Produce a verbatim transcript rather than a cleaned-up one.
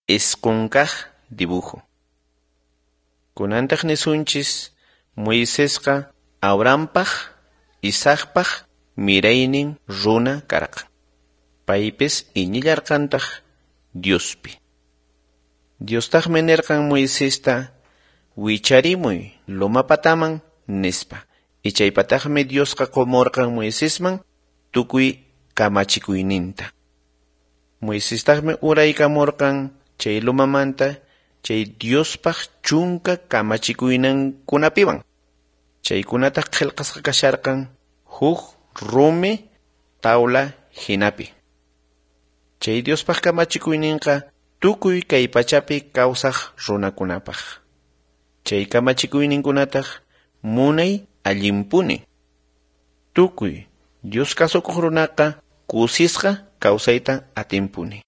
Isqun kaq dibujo. Kunantaq nisunchis Moisesqa Abrahampaq, Isaacpaq miraynin runa karqan. Paypis iñillarqantaq Diospi. Diostaqmi nirqan Moisesta wicharimuy loma pataman nispa. Ichaypataqmi Diosqa qumurqan Moisesman tukuy kamachikuyninta. Moisestaqmi uraykamurqan chay lomamanta chay Diospaq chunka kamachikuyninkunapiwan. Chaykunataq qillqasqa kasharqan huk rumi tawla hinapi. Chay Diospaq kamachikuyninqa tukuy kay pachapi kawsaq runakunapaq. Chay kamachikuyninkunataq munay allinpuni. Tukuy Dios kasukuq runaqa kusisqa kawsayta atinpuni.